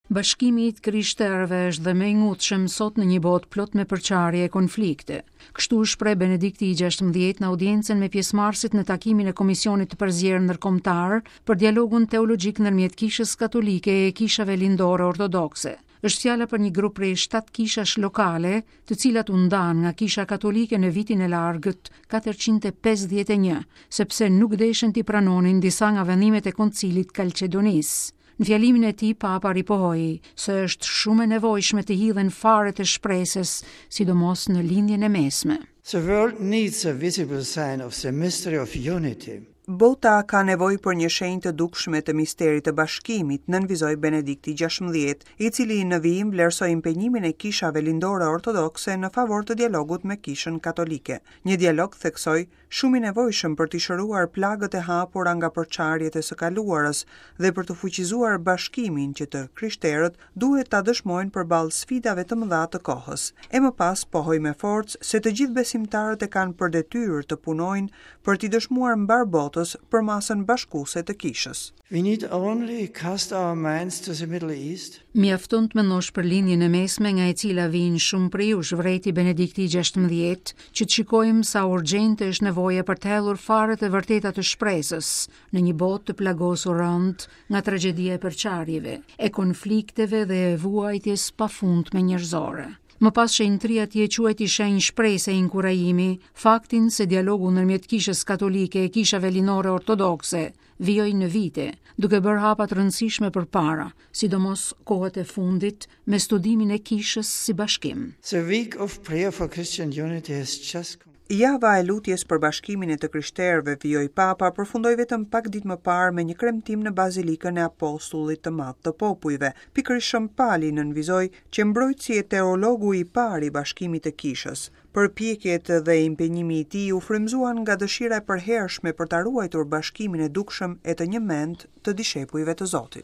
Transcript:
Bashkimi i të krishterëve është dhe më i ngutshëm sot në një botë plot me përçarje e konflikte. Kështu u shpreh Benedikti i 16 në audiencën me pjesëmarrësit në takimin e Komisionit të Përzier Ndërkombëtar për dialogun teologjik ndërmjet Kishës Katolike e Kishave Lindore Ortodokse. Është fjala për një grup prej shtatë kishash lokale, të cilat u ndanë nga Kisha Katolike në vitin e largët 451, sepse nuk deshën t'i pranonin disa nga vendimet e Koncilit Kalqedonisë. Në fjalimin e tij, Papa ripohoi se është shumë e nevojshme të hidhen faret e shpresës, sidomos në Lindjen e Mesme. The world needs a visible sign of the mystery of unity. Bota ka nevojë për një shenjë të dukshme të misterit të bashkimit, nënvizoi Benedikti 16, i cili në vijim vlerësoi impenjimin e kishave lindore ortodokse në favor të dialogut me Kishën Katolike. Një dialog, theksoi, shumë i nevojshëm për t'i shëruar plagët e hapura nga përçarjet e së kaluarës dhe për të fuqizuar bashkimin që të krishterët duhet ta dëshmojnë përballë sfidave të mëdha të kohës. E më pas pohoi me forcë se të gjithë besimtarët e kanë për detyrë të punojnë për t'i dëshmuar mbarë botës përmasën bashkuese të Kishës. We need only cast our minds to the Middle East. Mjafton të mendosh për Lindjen e Mesme nga e cila vijnë shumë prej jush, vërejti Benedikti i 16, që të shikojmë sa urgjente është nevoja për të hedhur faret e vërteta të shpresës në një botë të plagosur rëndë nga tragjedia e përçarjeve, e konflikteve dhe e vuajtjes pafundme njerëzore. Më pas shenjtëri atje quajti shenjë shprese e inkurajimi faktin se dialogu ndërmjet Kishës Katolike e Kishave Lindore Ortodokse vijoi në vite, duke bërë hapa të rëndësishme përpara, sidomos kohët e fundit me studimin e kishës si bashkim. The week of prayer for Christian unity has just Java e lutjes për bashkimin e të krishterëve, vijoi Papa, përfundoi vetëm pak ditë më parë me një kremtim në Bazilikën e Apostullit të Madh të Popujve. Pikërisht Shën Pali nënvizoi qe mbrojtësi e teologu i parë i bashkimit të kishës. Përpjekjet dhe impenjimi i tij u frymëzuan nga dëshira e përhershme për ta ruajtur bashkimin e dukshëm e të njëmendtë të dishepujve të Zotit.